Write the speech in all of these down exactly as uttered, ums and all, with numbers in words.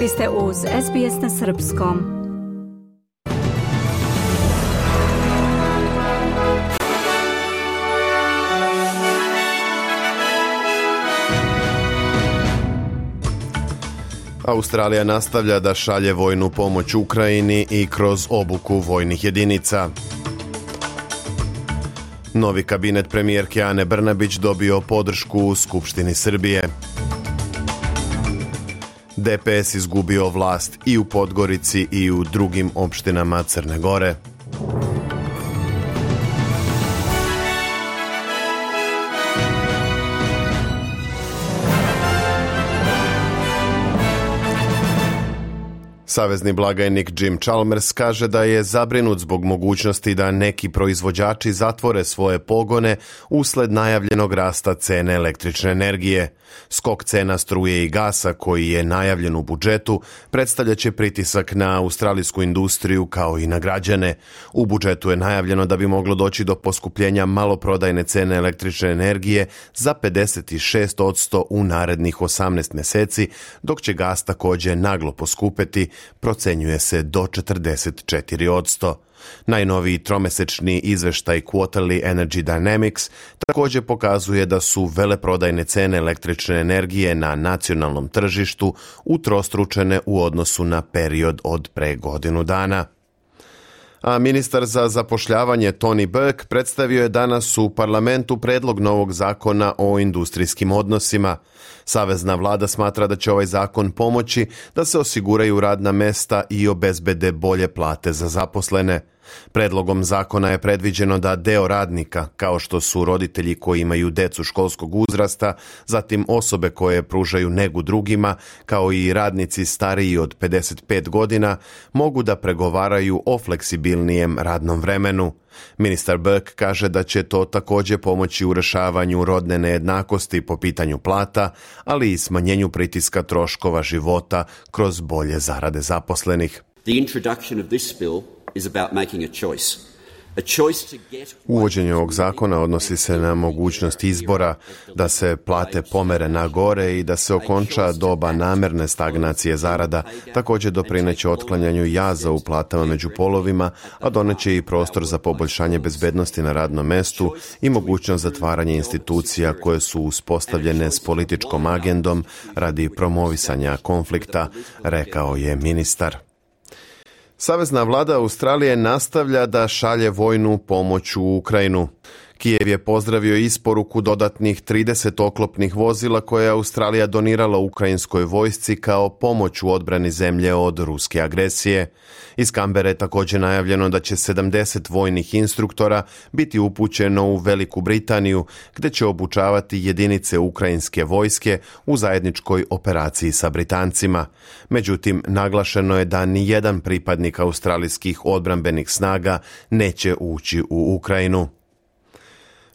Vi ste uz S B S na srpskom. Australija nastavlja da šalje vojnu pomoć Ukrajini i kroz obuku vojnih jedinica. Novi kabinet premijerke Ane Brnabić dobio podršku u Skupštini Srbije. D P S izgubio vlast i u Podgorici i u drugim opštinama Crne Gore. Savezni blagajnik Jim Chalmers kaže da je zabrinut zbog mogućnosti da neki proizvođači zatvore svoje pogone usled najavljenog rasta cene električne energije. Skok cena struje i gasa koji je najavljen u budžetu predstavljaće pritisak na australijsku industriju kao i na građane. U budžetu je najavljeno da bi moglo doći do poskupljenja maloprodajne cene električne energije za pedeset šest posto u narednih osamnaest meseci, dok će gas također naglo poskupeti, procenjuje se do četrdeset četiri posto. Najnoviji tromesečni izveštaj Quarterly Energy Dynamics također pokazuje da su veleprodajne cene električne energije na nacionalnom tržištu utrostručene u odnosu na period od pre godinu dana. A ministar za zapošljavanje Tony Burke predstavio je danas u parlamentu predlog novog zakona o industrijskim odnosima. Savezna vlada smatra da će ovaj zakon pomoći da se osiguraju radna mesta i obezbede bolje plate za zaposlene. Predlogom zakona je predviđeno da deo radnika, kao što su roditelji koji imaju decu školskog uzrasta, zatim osobe koje pružaju negu drugima, kao i radnici stariji od pedeset pet godina, mogu da pregovaraju o fleksibilnijem radnom vremenu. Ministar Burke kaže da će to također pomoći u rešavanju rodne nejednakosti po pitanju plata, ali i smanjenju pritiska troškova života kroz bolje zarade zaposlenih. The introduction of this bill is about making a choice. A choice to get... Uvođenje ovog zakona odnosi se na mogućnost izbora da se plate pomere na gore i da se okonča doba namerne stagnacije zarada, također doprineće otklanjanju jaza u platama među polovima, a doneće i prostor za poboljšanje bezbednosti na radnom mestu i mogućnost zatvaranja institucija koje su uspostavljene s političkom agendom radi promovisanja konflikta, rekao je ministar. Savezna vlada Australije nastavlja da šalje vojnu pomoć u Ukrajinu. Kijev je pozdravio isporuku dodatnih trideset oklopnih vozila koje je Australija donirala ukrajinskoj vojsci kao pomoć u odbrani zemlje od ruske agresije. Iz Kambere je također najavljeno da će sedamdeset vojnih instruktora biti upućeno u Veliku Britaniju, gdje će obučavati jedinice ukrajinske vojske u zajedničkoj operaciji sa Britancima. Međutim, naglašeno je da ni jedan pripadnik australijskih odbrambenih snaga neće ući u Ukrajinu.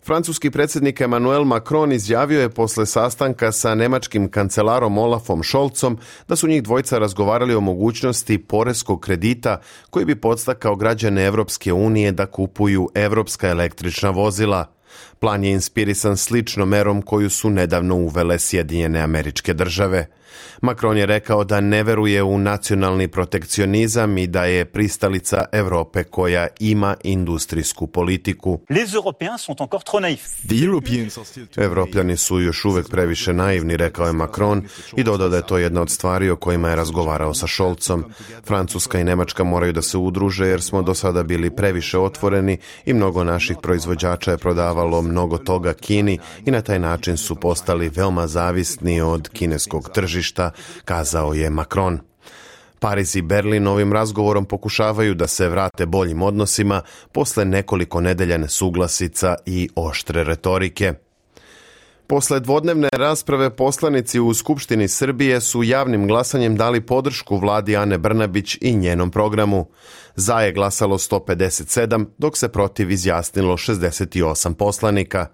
Francuski predsjednik Emmanuel Macron izjavio je posle sastanka sa nemačkim kancelarom Olafom Scholzom da su njih dvojica razgovarali o mogućnosti poreskog kredita koji bi podstakao građane Evropske unije da kupuju evropska električna vozila. Plan je inspirisan sličnom merom koju su nedavno uvele Sjedinjene Američke Države. Macron je rekao da ne veruje u nacionalni protekcionizam i da je pristalica Evrope koja ima industrijsku politiku. Evropljani su još uvek previše naivni, rekao je Macron i dodao da je to jedna od stvari o kojima je razgovarao sa Scholzom. Francuska i Nemačka moraju da se udruže jer smo do sada bili previše otvoreni i mnogo naših proizvođača je prodavalo mnogo toga Kini i na taj način su postali veoma zavisni od kineskog tržišta, kazao je Macron. Pariz i Berlin ovim razgovorom pokušavaju da se vrate boljim odnosima posle nekoliko nedelja nesuglasica i oštre retorike. Posle dvodnevne rasprave poslanici u Skupštini Srbije su javnim glasanjem dali podršku vladi Ane Brnabić i njenom programu. Za je glasalo sto pedeset sedam, dok se protiv izjasnilo šezdeset osam poslanika.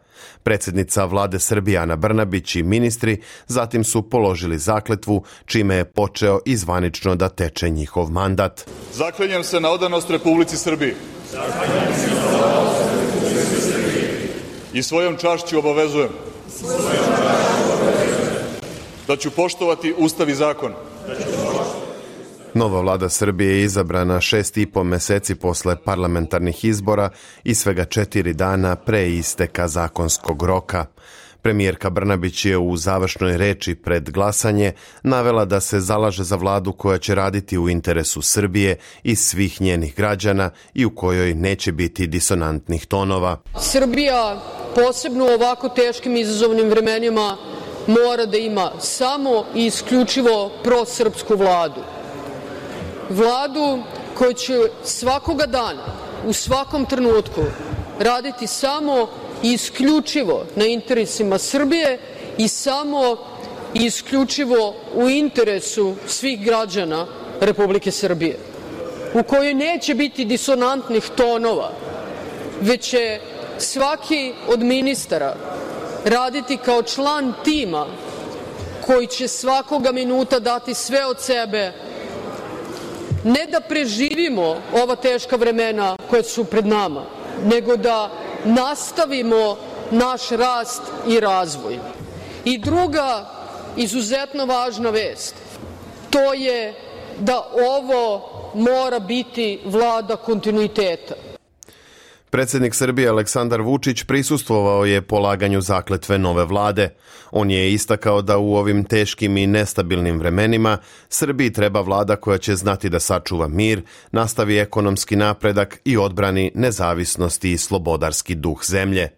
Predsjednica vlade Srbije Ana Brnabić i ministri zatim su položili zakletvu, čime je počeo i zvanično da teče njihov mandat. Zaklinjem se na odanost Republici Srbiji. I svojom čašću obavezujem da ću poštovati Ustav i zakon Nova vlada Srbije je izabrana šest i po meseci posle parlamentarnih izbora i svega četiri dana pre isteka zakonskog roka. Premijerka Brnabić je u završnoj reči pred glasanje navela da se zalaže za vladu koja će raditi u interesu Srbije i svih njenih građana i u kojoj neće biti disonantnih tonova. Srbija, posebno u ovako teškim izazovnim vremenima, mora da ima samo i isključivo prosrpsku vladu. Vladu koja će svakoga dana, u svakom trenutku, raditi samo i isključivo na interesima Srbije i samo i isključivo u interesu svih građana Republike Srbije, u kojoj neće biti disonantnih tonova, već će svaki od ministara raditi kao član tima koji će svakoga minuta dati sve od sebe, ne da preživimo ova teška vremena koja su pred nama, nego da nastavimo naš rast i razvoj. I druga izuzetno važna vest, to je da ovo mora biti vlada kontinuiteta. Predsjednik Srbije Aleksandar Vučić prisustvovao je polaganju zakletve nove vlade. On je istakao da u ovim teškim i nestabilnim vremenima Srbiji treba vlada koja će znati da sačuva mir, nastavi ekonomski napredak i odbrani nezavisnost i slobodarski duh zemlje.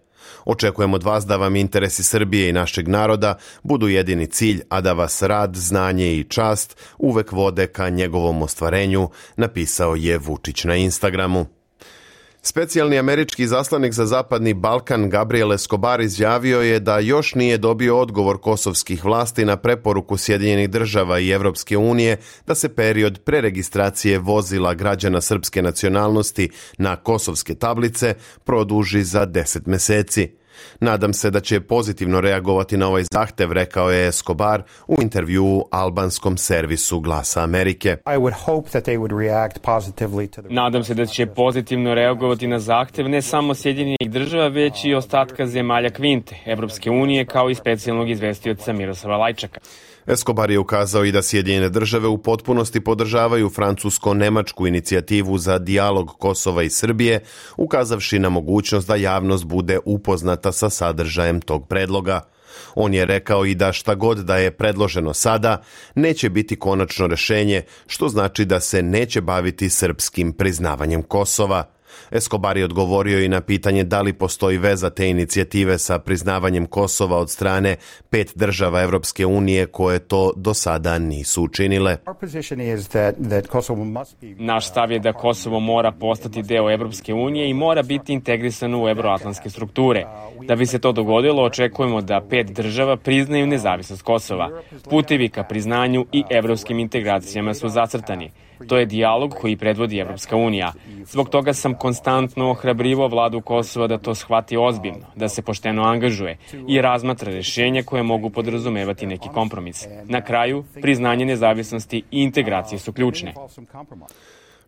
Očekujem od vas da vam interesi Srbije i našeg naroda budu jedini cilj, a da vas rad, znanje i čast uvek vode ka njegovom ostvarenju, napisao je Vučić na Instagramu. Specijalni američki zaslanik za Zapadni Balkan Gabriel Escobar izjavio je da još nije dobio odgovor kosovskih vlasti na preporuku Sjedinjenih država i Evropske unije da se period preregistracije vozila građana srpske nacionalnosti na kosovske tablice produži za deset meseci. Nadam se da će pozitivno reagovati na ovaj zahtev, rekao je Escobar u intervjuu albanskom servisu Glasa Amerike. Nadam se da će pozitivno reagovati na zahtev ne samo Sjedinjenih država, već i ostatka zemalja Kvinte, Evropske unije, kao i specijalnog izvestioca Miroslava Lajčaka. Escobar je ukazao i da Sjedinjene države u potpunosti podržavaju francusko-nemačku inicijativu za dijalog Kosova i Srbije, ukazavši na mogućnost da javnost bude upoznata sa sadržajem tog predloga. On je rekao i da šta god da je predloženo sada, neće biti konačno rešenje, što znači da se neće baviti srpskim priznavanjem Kosova. Escobar je odgovorio i na pitanje da li postoji veza te inicijative sa priznavanjem Kosova od strane pet država Evropske unije koje to do sada nisu učinile. Naš stav je da Kosovo mora postati deo Evropske unije i mora biti integrisano u evroatlantske strukture. Da bi se to dogodilo, očekujemo da pet država priznaju nezavisnost Kosova. Putevi ka priznanju i evropskim integracijama su zacrtani. To je dijalog koji predvodi Evropska unija. Zbog toga sam konstantno ohrabrivao vladu Kosova da to shvati ozbiljno, da se pošteno angažuje i razmatra rešenja koje mogu podrazumevati neki kompromis. Na kraju, priznanje nezavisnosti i integracije su ključne.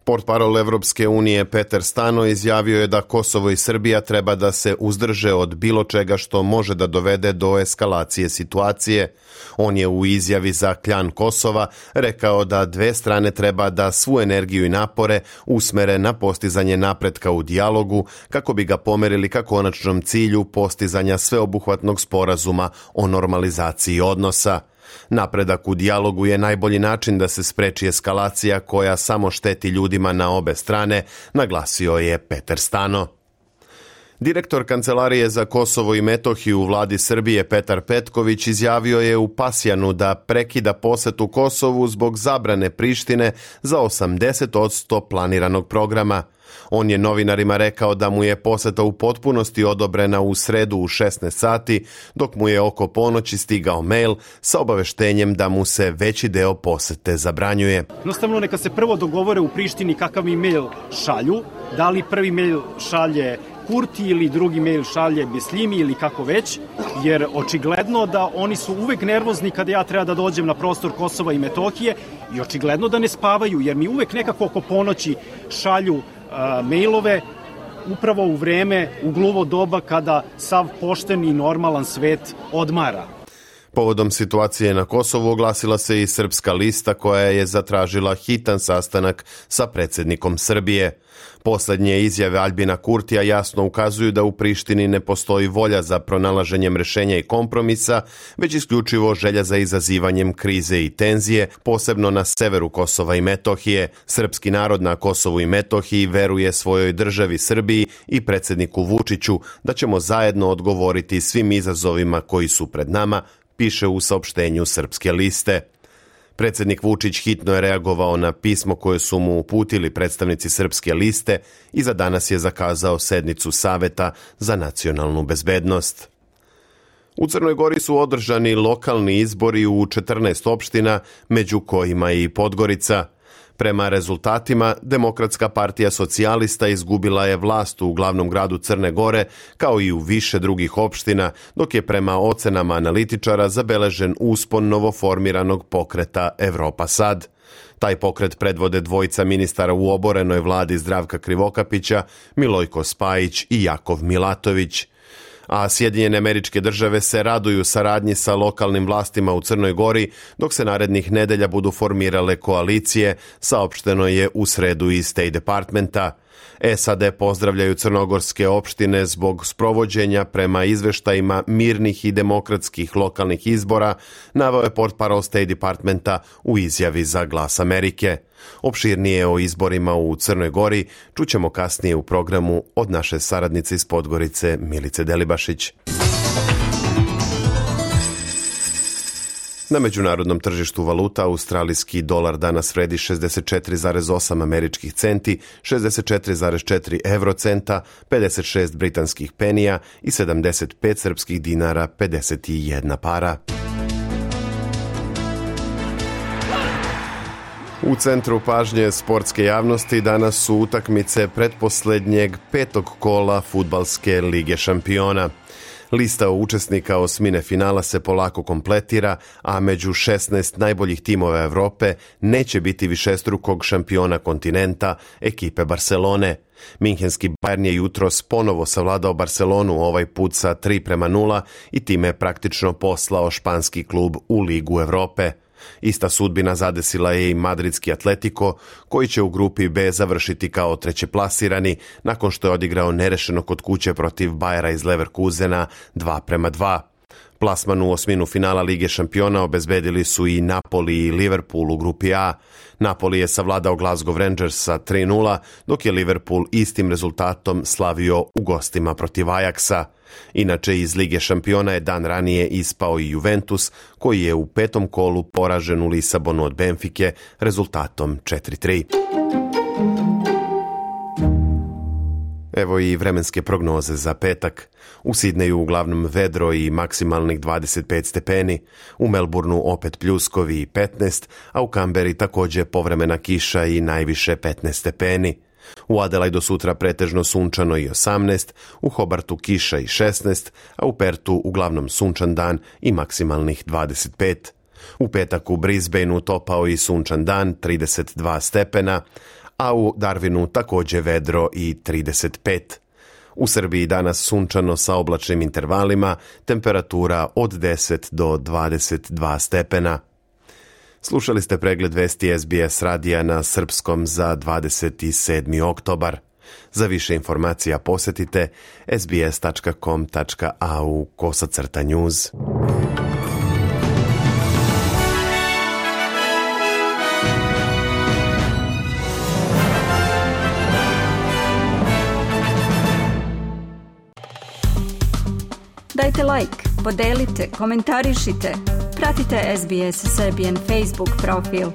Portparol Evropske unije Peter Stano izjavio je da Kosovo i Srbija treba da se uzdrže od bilo čega što može da dovede do eskalacije situacije. On je u izjavi za Kljan Kosova rekao da dve strane treba da svu energiju i napore usmere na postizanje napretka u dijalogu kako bi ga pomerili ka konačnom cilju postizanja sveobuhvatnog sporazuma o normalizaciji odnosa. Napredak u dijalogu je najbolji način da se spreči eskalacija koja samo šteti ljudima na obe strane, naglasio je Peter Stano. Direktor Kancelarije za Kosovo i Metohiju u vladi Srbije Petar Petković izjavio je u Pasjanu da prekida posetu Kosovu zbog zabrane Prištine za osamdeset posto planiranog programa. On je novinarima rekao da mu je poseta u potpunosti odobrena u sredu u šesnaest sati, dok mu je oko ponoći stigao mail sa obaveštenjem da mu se veći deo posete zabranjuje. Jednostavno neka se prvo dogovore u Prištini kakav mi mail šalju, da li prvi mail šalje Kurti ili drugi mail šalje Bislimi ili kako već, jer očigledno da oni su uvek nervozni kada ja treba da dođem na prostor Kosova i Metohije i očigledno da ne spavaju, jer mi uvek nekako oko ponoći šalju a, mailove upravo u vreme, u gluvo doba kada sav pošten i normalan svet odmara. Povodom situacije na Kosovu oglasila se i Srpska lista koja je zatražila hitan sastanak sa predsjednikom Srbije. Posljednje izjave Aljbina Kurtija jasno ukazuju da u Prištini ne postoji volja za pronalaženjem rješenja i kompromisa, već isključivo želja za izazivanjem krize i tenzije, posebno na severu Kosova i Metohije. Srpski narod na Kosovu i Metohiji veruje svojoj državi Srbiji i predsjedniku Vučiću da ćemo zajedno odgovoriti svim izazovima koji su pred nama, piše u saopštenju Srpske liste. Predsjednik Vučić hitno je reagovao na pismo koje su mu uputili predstavnici Srpske liste i za danas je zakazao sednicu Saveta za nacionalnu bezbednost. U Crnoj Gori su održani lokalni izbori u četrnaest opština, među kojima i Podgorica. Prema rezultatima, Demokratska partija socijalista izgubila je vlast u glavnom gradu Crne Gore, kao i u više drugih opština, dok je prema ocenama analitičara zabeležen uspon novoformiranog pokreta Evropa Sad. Taj pokret predvode dvojica ministara u oborenoj vladi Zdravka Krivokapića, Milojko Spajić i Jakov Milatović. A Sjedinjene Američke Države se raduju saradnji sa lokalnim vlastima u Crnoj Gori, dok se narednih nedelja budu formirale koalicije, saopšteno je u sredu iz State Departmenta. S A D pozdravljaju crnogorske opštine zbog sprovođenja prema izveštajima mirnih i demokratskih lokalnih izbora, naveo je portparol State Departmenta u izjavi za Glas Amerike. Opširnije o izborima u Crnoj Gori čućemo kasnije u programu od naše saradnice iz Podgorice Milice Delibašić. Na međunarodnom tržištu valuta australijski dolar danas vredi šezdeset četiri zarez osam američkih centi, šezdeset četiri zarez četiri eurocenta, pedeset šest britanskih penija i sedamdeset pet srpskih dinara pedeset jedna para. U centru pažnje sportske javnosti danas su utakmice pretposlednjeg petog kola Fudbalske lige šampiona. Lista učesnika osmine finala se polako kompletira, a među šesnaest najboljih timova Evrope neće biti višestrukog šampiona kontinenta, ekipe Barcelone. Minhenski Bayern je jutros ponovo savladao Barcelonu, ovaj put sa tri prema nula i time praktično poslao španski klub u Ligu Evrope. Ista sudbina zadesila je i madridski Atletico, koji će u grupi B završiti kao trećeplasirani nakon što je odigrao nerešeno kod kuće protiv Bayera iz Leverkusena dva prema dva. Plasman u osminu finala Lige šampiona obezbedili su i Napoli i Liverpool u grupi A. Napoli je savladao Glasgow Rangers sa tri nula, dok je Liverpool istim rezultatom slavio u gostima protiv Ajaxa. Inače, iz Lige šampiona je dan ranije ispao i Juventus, koji je u petom kolu poražen u Lisabonu od Benfike rezultatom četiri tri. Evo i vremenske prognoze za petak. U Sidneju uglavnom vedro i maksimalnih dvadeset pet stepeni, u Melbourneu opet pljuskovi i petnaest, a u Kamberi također povremena kiša i najviše petnaest stepeni. U Adelaidu sutra pretežno sunčano i osamnaest, u Hobartu kiša i šesnaest, a u Pertu uglavnom sunčan dan i maksimalnih dvadeset pet. U petak u Brisbaneu topao i sunčan dan, trideset dva stepena, a u Darwinu također vedro i trideset pet. U Srbiji danas sunčano sa oblačnim intervalima, temperatura od deset do dvadeset dva stepena. Slušali ste pregled vesti S B S radija na srpskom za dvadeset sedmi oktobar. Za više informacija posjetite sbs tačka com tačka a u kosacrta news. Dajte like, podelite, komentarišite. Pratite S B S Serbian Facebook profil.